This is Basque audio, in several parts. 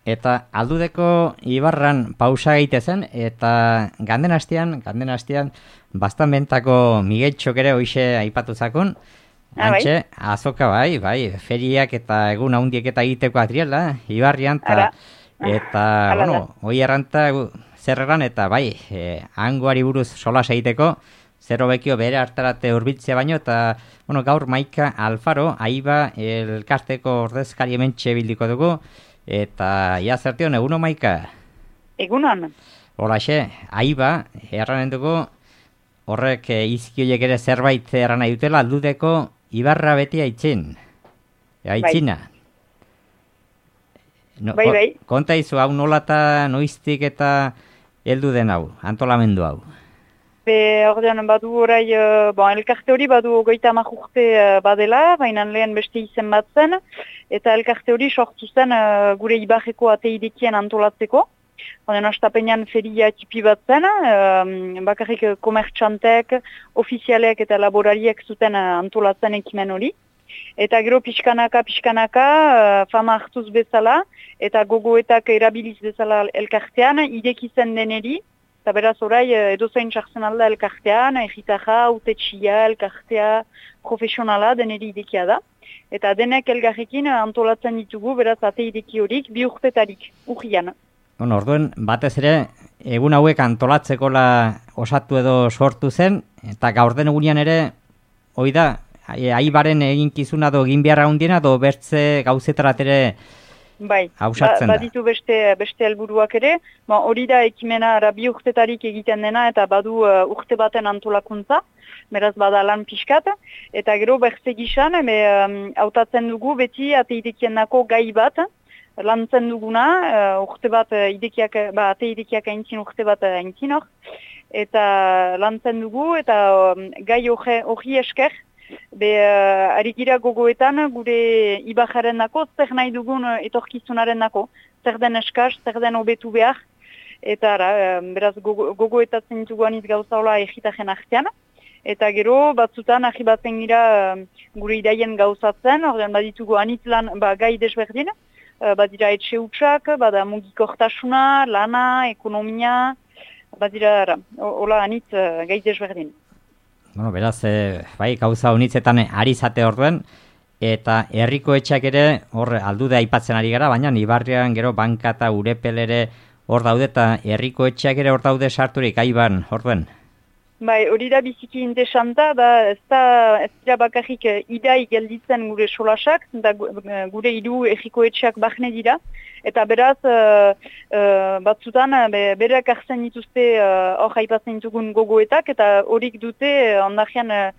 eta Aldudeko ibarran pausa egitezen, eta ganden hastian, bastan bentako Migueltxok ere hoxe aipatu zakun, antxe, azoka bai, feriak eta egun handiek eta egiteko atriela, ibarrian, eta bueno, hoi erranta zerreran, eta bai, hangoari buruz solas egiteko, zerro bekio bere hartarate urbiltzea baino, eta bueno, gaur Maika Alfaro, Aiba elkarteko ordezkari hementxe bildiko dugu, eta ia zertion, eguno Maika? Egunon. Holaxe, Aiba, erranen dugu, horrek izkioiek ere zerbait erran nahi dutela, Aldudeko ibarra beti aitzina. Bai. Konta izu, hau nolata noiztik eta heldu den hau, antolamendu hau? Ordean badu orai, elkarte hori badu 30 urte badela, baina lehen beste izen bat zen, eta elkarte hori sortu zen gure ibarreko ateidekien antolatzeko. Ordean astapenean feria tipi bat zen, bakarrik komertxantek, ofizialek eta laborariek zuten antolatzen ekimen hori. Eta gero pixkanaka, fama hartuz bezala, eta gogoetak erabiliz bezala elkartean, ideki zen deneri, eta beraz orai edozain txartzen alda elkartean, egitarra, utetxia, elkartea, profesionala deneri idekia da. Eta denek elgarrekin antolatzen ditugu, beraz ate ideki horik, 2 urtetarik, urrian. Orduen, batez ere, egun hauek antolatzekola osatu edo sortu zen, eta gaur den egunean ere, hoi da, Aibaren eginkizuna do egin beharra hundiena, do bertze gauzetarat ere hausatzen da. Baditu beste helburuak ere, hori da ekimena 2 urtetarik egiten dena, eta badu urte baten antolakuntza, beraz bada lan pixkat, eta gero bertze gizan, hautatzen dugu beti ateidekienako gai bat, lantzen duguna, urte bat ate idekiak aintzin urte bat aintzin hor, eta lantzen dugu, eta gai hori esker, arigira gogoetan gure ibajaren nako, zer nahi dugun etorkizunaren nako, zer den eskaz, zer den hobetu behar, eta beraz gogoetatzen ditugu aniz gauzaola egitaren artean, eta gero batzutan ahibatzen gira gure idaien gauzatzen, ordean baditugu anitz lan gai desberdin, badira etxe hutsak, bada mugikortasuna, lana, ekonomia, badira hola anitz gai desberdin. Bueno, beraz, gauza honitzetan ari zate orduen, eta herriko etxeak ere hor Aldude aipatzen ari gara, baina Ibarrian gero banka eta urepel ere hor daude, eta herriko etxeak ere hor daude sarturik, Aiban, orduen? Bai, hori da biziki interesanta, ez dira bakarrik idai gelditzen gure solasak, da gure hiru herriko etxeak bahne dira, eta beraz batzutan berak hartzen dituzte hor aipatzen ditugun gogoetak, eta horik dute ondajean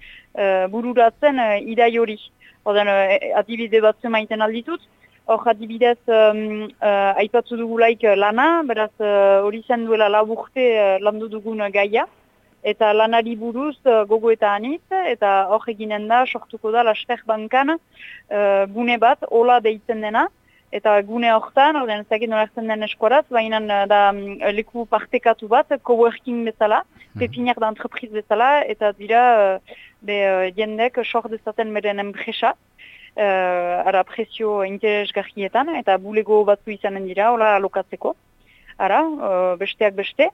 bururatzen idai hori. Oden adibide batzu maiten alditut, hor adibidez aipatzu dugulaik lana, beraz hori zen duela 4 urte landu dugun gaia, eta lanari buruz gogo eta anitz, eta hor eginen da, sortuko da Laster bankan gune bat, hola deitzen dena, eta gune horretan, ordean ezagin nolertzen den eskoraz, baina da leku partekatu bat, coworking bezala, pepinak da entreprise bezala, eta dira jendek sort dezaten beren enpresa, ara presio interesgarrietan, eta bulego batzu izanen dira, hola alokatzeko. Besteak beste.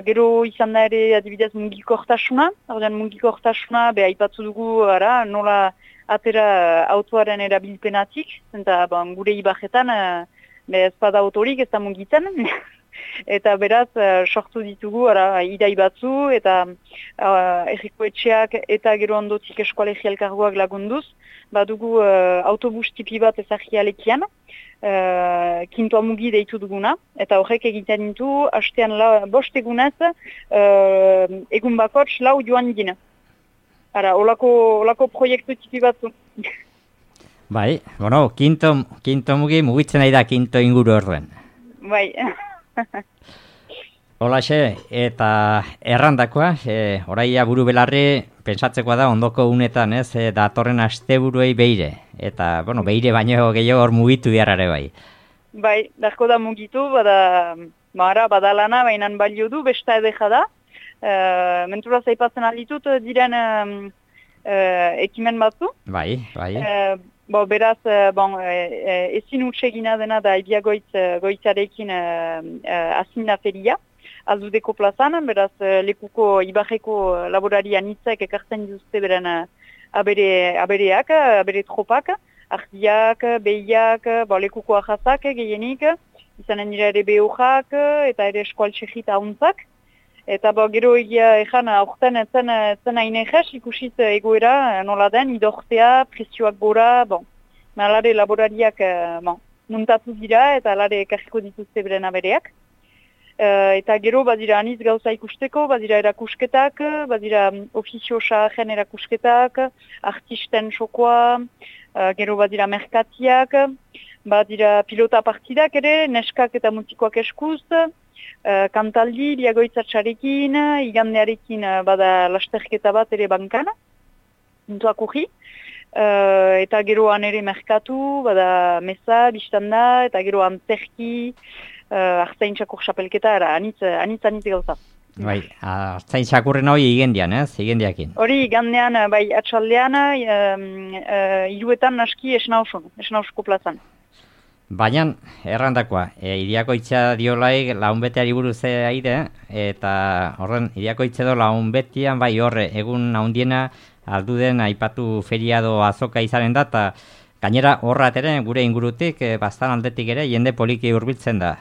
Gero izan da ere adibidez mugikortasuna. Mugikortasuna aipatzu dugu nola atera autoaren erabilpenatik. Eta gure ibajetan ez bada autorik ez da mugitzen. Eta beraz sortu ditugu idai batzu eta herriko etxeak eta gero ondotik eskualegi elkargoak lagunduz. Badugu autobus tipi bat ezagialekian. Kintoa mugi deitu duguna, eta horrek egiten ditu, hastean 5 egunez, egun bakots 4 joan dina. Olako proiektu tipi batzu. Bai, kinto mugi mugitzen nahi da kinto inguru orduen. Bai. Holaxe, eta errandakoa, oraia buru belarri, pentsatzekoa da ondoko unetan, datorren asteburuei beire. Eta, beire baino gehiago hor mugitu diarrare bai. Bai, darko da mugitu, bada lana, baina balio du, besta edeja da. Mentura zaipatzen alditut diren ekimen batzu. Bai. Beraz, ezin utsegina dena da Ibiagoitzarekin azinda feria, aldudeko plazan, beraz lekuko Ibarreko laborari anitzek ekartzen dituzte beren abereak, abere tropak, ardiak, behiak, lekuko ahazak gehienik, izanen dira ere behojak eta ere eskualtxegita hauntzak. Eta gero egia ezan aurten etzen hain egez, ikusiz egoera nola den, idortzea, presioak gora, alare laborariak muntatu dira eta alare ekarriko dituzte beren abereak. Eta gero badira aniz gauza ikusteko, badira erakusketak, badira ofizio saaren erakusketak, artisten sokoa, gero badira merkatiak, badira pilota partidak ere, neskak eta mutikoak eskuz, kantaldi, Ibiagoitzatxarekin, igandearekin bada lasterketa bat ere bankan, intuak urri. Eta geroan ere merkatu, bada mesa, biztanda, eta gero antzerki, artzaintzako xapelketa, anitz gauza. Bai, artzaintzakurren hori igendian, igendiakin. Hori igandean, atxaldean, iruetan naski esnausko plazan. Baina, errandakoa, Iriakoitza diolaik launbeteari buruz aide, eta horren Iriakoitza edo launbetian bai horre, egun handiena alduden aipatu feriado azoka izanen da, eta gainera horrat ere gure ingurutik, bastan aldetik ere, jende poliki hurbiltzen da.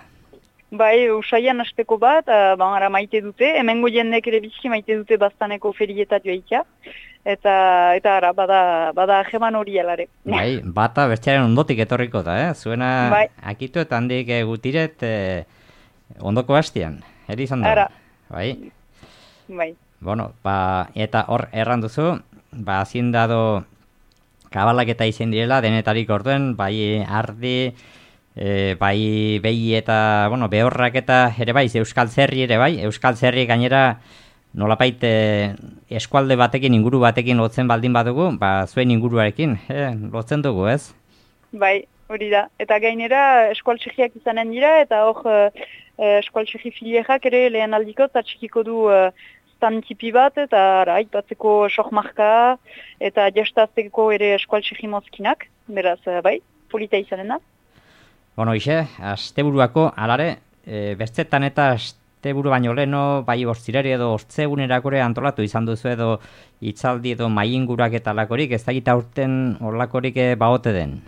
Bai, usaian asteko bat, ara maite dute, hemengo jendek ere bizki maite dute bastaneko ferietat joaitia. Eta ara, bada ajeman hori alare. Bai, bata bertxaren ondotik etorriko da, Zuena bai. Akitu eta handik gutiret ondoko hastian, izan da. Ara. Bai. Bai. Bueno, eta hor erranduzu, hazin dado kabalak eta izen direla, denetarik orduen, bai ardi, bai behi eta, behorrak eta ere bai, Euskal Zerri ere bai, Euskal Zerri gainera, nolapait eskualde batekin, inguru batekin lotzen baldin badugu, zuen inguruarekin, lotzen dugu, ez? Bai, hori da. Eta gainera eskualtsegiak izanen dira, eta hor eskualtsegi filierak ere lehen aldiko, eta txikiko du stand tipi bat, eta aipatzeko sokmarka, eta jastazteko ere eskualtsegi mozkinak, beraz, bai, polita izanen da. Bueno, asteburuako, alare, bertzetan eta asteburu baino leno, bai bortzirari edo ortzegunerakore antolatu izan duzu edo hitzaldi edo maingurak eta lakorik, ez da gita aurten horlakorik baote den?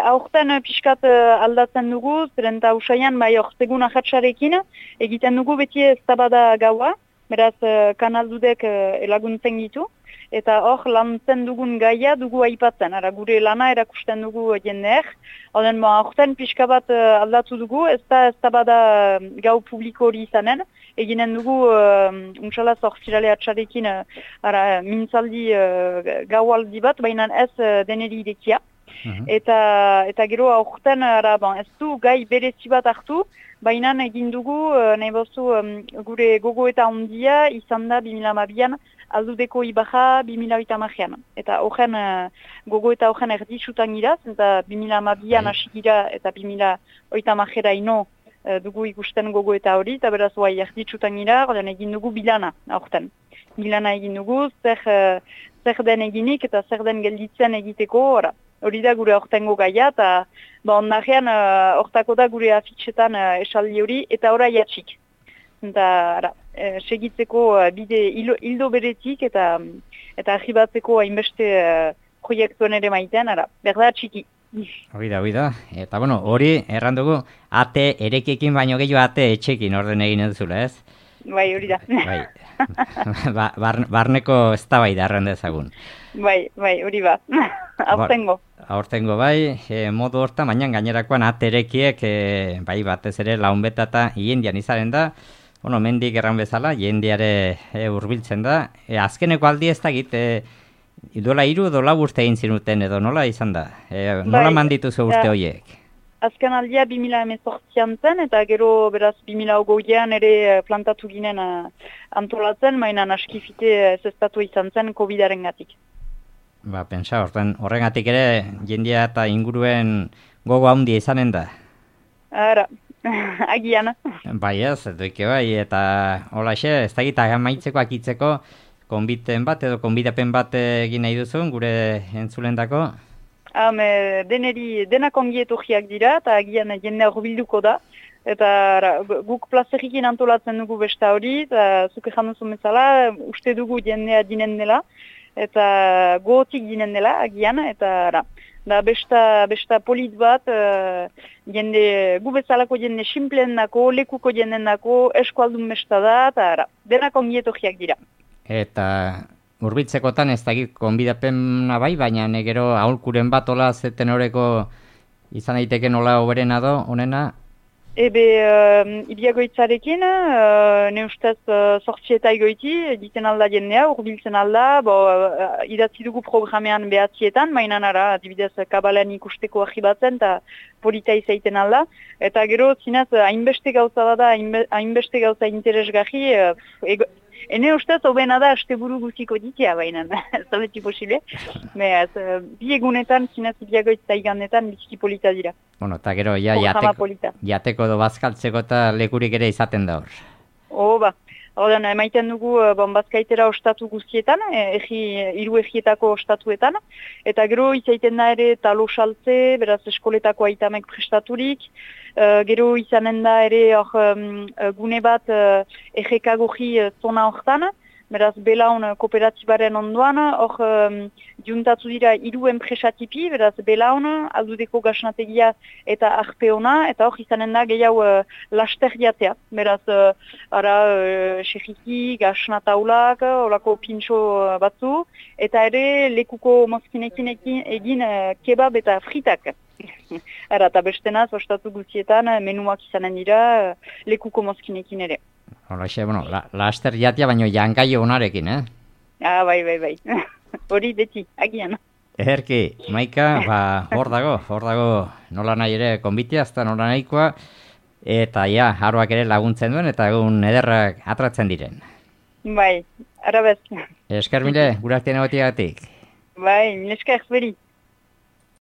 Aurten pixkat aldatzen dugu, zeren eta usaian bai ortegun ahatsarekin, egiten dugu beti eztabada gaua, beraz kanaldudek elaguntzen gitu, eta hor lantzen dugun gaia dugu aipatzen, gure lana erakusten dugu jendeek, aurten pixka bat aldatu dugu, ez da bada gau publiko hori izanen, eginen dugu untsala zortzirale atxarekin mintzaldi gaualdi bat, baina ez deneri irekia. Eta gero aurten ez du gai berezi bat hartu, baina egin dugu, nahi bozu, gure gogo eta ondia izan da 2012an, aldudeko Ibarra 2008an. Eta horren gogo eta horren erditsutan gira, eta 2012an hasi gira eta 2008an ino dugu ikusten gogo eta hori, eta beraz erditsutan gira, egin dugu bilana aurten. Bilana egin dugu, zer den eginik eta zer den gelditzen egiteko, hori da gure hortengo gaia, eta ondarean hortako da gure afitxetan esaldi hori, eta ora jatxik. Eta segitzeko bide hildo beretik eta ahibatzeko hainbeste proiektuen ere maitean, berda txiki. Hori da. Eta hori errandugu ate erekiekin baino gehiago ate etxekin orden egin eduzula, ez? Bai, hori da. Barneko ez da bai da errandezagun. Bai, hori ba. Aurtengo. Aurtengo bai, modu horta, baina gainerakoan aterekiek bai batez ere launbeta eta hiendian izaren da, mendik erran bezala, jendiare hurbiltzen da. Azkeneko aldi ez da git, dola 3 edo 4 urte egin zinuten edo nola izan da? Nola mandituzu urte horiek? Azken aldia 2018an zen, eta gero beraz 2020an ere plantatu ginen antolatzen, mainan askifite zestatu izan zen COVID-aren gatik. Pentsa, horrengatik ere jendia eta inguruen gogo handia izanen da? Agian. Bai ez, doike bai, eta holaxe, ez da gita amaitzeko akitzeko konbiten bat edo konbidapen bat egin nahi duzun, gure entzulendako? Denak ongi etorriak dira, eta agian jendea horbilduko da. Eta guk plazerikin antolatzen dugu besta hori, eta zuke januzun bezala, uste dugu jendea dinen dela, eta gotik dinen dela, agian, eta da besta polit bat, jende, gu bezalako jende simpleen dako, lekuko jenden dako, eskualdun besta da, eta denak ongi etorriak dira. Eta hurbiltzekotan ez dakit konbidapena bai, baina gero aholkuren bat ola zeten horreko izan daiteke nola oberena do, honena? Ibiagoitzarekin, ne ustez sortzieta egoiti, egiten alda jendea, urbiltzen alda, idatzi dugu programean behatzietan, mainan ara, adibidez, kabalean ikusteko ahibatzen, eta polita izaiten alda, eta gero, zinez, hainbeste gauza da, hainbeste gauza interesgarri, ene ustez, obena da, asteburu guziko ditia, baina, ez da beti posible, bi egunetan, zinez, ibiagoitza igandetan, biziki polita dira. Bueno, eta gero, jateko edo bazkaltzeko eta lekurik ere izaten da hor. Horren, emaiten dugu bazkaitera ostatu guztietan, hiru egietako ostatuetan, eta gero izaiten da ere talo saltze, beraz eskoletako aitamek prestaturik, gero izanen da ere gune bat egekagogi zona hortan, beraz Belaun kooperatibaren ondoan, hor juntatu dira 3 enpresatipi, beraz Belaun, Aldudeko gasnategia eta Arpeona, eta hor izanen da gehiago laster jatea. Beraz, xerriki, gasnataulak, olako pintxo batzu, eta ere lekuko mozkinekin egin kebab eta fritak. Eta bestenaz, ostatu guztietan, menuak izanen dira lekuko mozkinekin ere. Horrexe, laster jatia baino jangaio onarekin, Bai. Hori beti, agian. Ederki, Maika, hor dago, nola nahi ere konbitia, azta nola nahikoa, eta haroak ere laguntzen duen, eta egun ederrak atratzen diren. Bai, arabez. Esker mile, gure artean egotiagatik. Bai, esker beri.